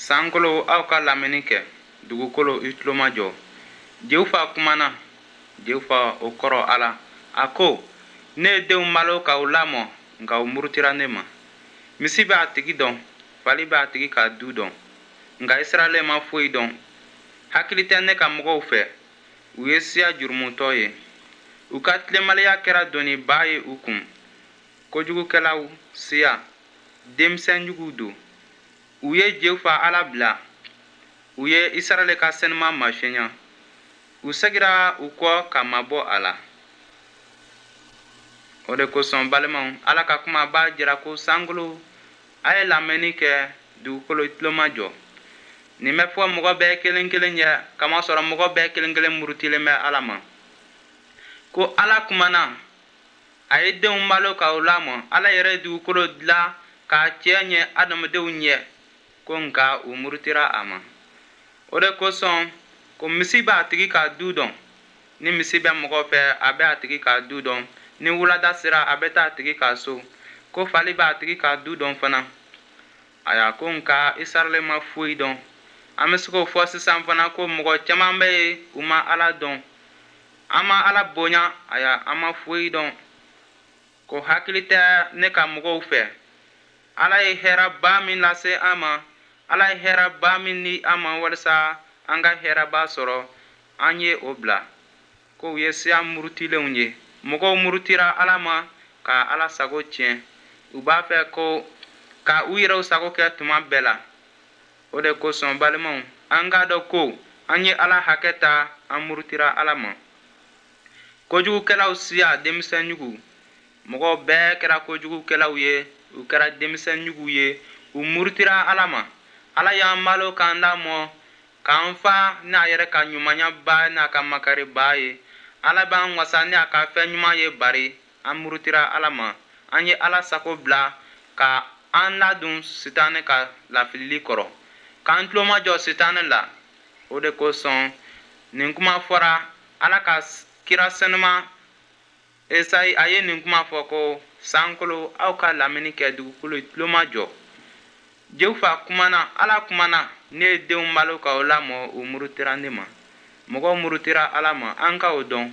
Sankolo, aw ka lamɛnni kɛ. Dugukolo, i tulo majɔ. Jehova kumana. Jehova, o kɔrɔ Ala. A ko, ne ye denw malo ka u lamɔ, nka u murutira ne ma. Misi bɛ a tigi dɔn, fali bɛ a tigi ka du dɔn, nka Israɛl ma foyi dɔn. Hakili tɛ ne ka mɔgɔw fɛ. U ye siya jurumutɔ ye. U ka tilenbaliya kɛra doniba ye u kun. Kojugukɛlaw siya, denmisɛn juguw don. U ye Jehova Ala bila. U ye Israɛl ka senuma masɔnya. U segira u kɔ ka mabɔ a la. O de kosɔn, balimaw, Ala ka kuma b'a jira ko sankolo, a ye lamɛnni kɛ. Dugukolo, i tulo majɔ. Nin bɛ fɔ mɔgɔ bɛɛ kelen kelen ye, kamasɔrɔ mɔgɔ bɛɛ kelen kelen murutilen bɛ Ala ma. Ko Ala kumana, a ye denw balo ka u lamɔ. Ala yɛrɛ ye dugukolo dilan k'a cɛ ɲɛ adamadenw ɲɛ, ko nka u murutira a ma. O de kosɔn ko misi b'a tigi ka du dɔn. Ni misi bɛ mɔgɔ fɛ, a bɛ a tigi ka du dɔn. Ni wulada sera, a bɛ taa a tigi ka so. Ko fali b'a tigi ka du dɔn fana. Aya, ko nka Israɛl ma foyi dɔn. An bɛ se k'o fɔ sisan fana ko mɔgɔ caman bɛ yen, u ma Ala dɔn. An ma Ala bonya. Aya, an ma foyi dɔn. Ko hakili tɛ ne ka mɔgɔw fɛ. Ala ye hɛrɛba min lase an ma, Ala ye hɛrɛba min di an ma walisa an ka hɛrɛba sɔrɔ, an ye o bila. Ko u ye siya murutilenw ye. Mɔgɔw murutira Ala ma ka Ala sago tiɲɛ. U b'a fɛ ko ka u yɛrɛw sago kɛ tuma bɛɛ la. O de kosɔn, balimaw, an k'a dɔn ko an ye Ala hakɛ ta, an murutira Ala ma. Kojugukɛlaw siya, denmisɛn jugu. Mɔgɔw bɛɛ kɛra kojugukɛlaw ye, u kɛra denmisɛn juguw ye, u murutira Ala ma. Ala y'an malo k'an lamɔ, k'an fa n'a yɛrɛ ka ɲumanyaba n'a ka makariba ye. Ala b'an wasa ni a ka fɛn ɲuman ye, bari an murutira Ala ma. An ye Ala sago bila ka an ladon Sitanɛ ka lafilili kɔrɔ, k'an tulo majɔ Sitanɛ la. O de kosɔn nin kuma fɔra Ala ka kira senuma Esayi. A ye nin kuma fɔ ko, sankolo, aw ka lamɛnni kɛ. Dugukolo, tulo majɔ. Jehova kumana, Ala kumana. Ne ye denw balo ka o lamɔ, u murutira ne ma. Mɔgɔw murutira Ala ma, an ka o dɔn.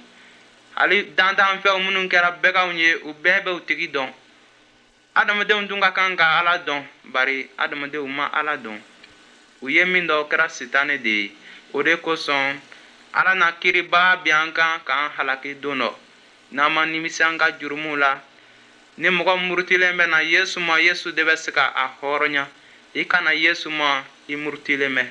Hali dantanfɛnw minnu kɛra baganw ye, u bɛɛ bɛ u tigi dɔn. Adamadenw dun ka kan ka Ala dɔn, bari adamadenw ma Ala dɔn. U ye min dɔn, o kɛra Sitanɛ de ye. O de kosɔn Ala na kiriba bin an kan k'an halaki don dɔ, n'an ma nimisi an ka jurumuw la. Ni mɔgɔ murutilen bɛ na Yesu ma, Yesu de bɛ se ka a hɔrɔnya. I ka na Yesu ma, i murutilen bɛ.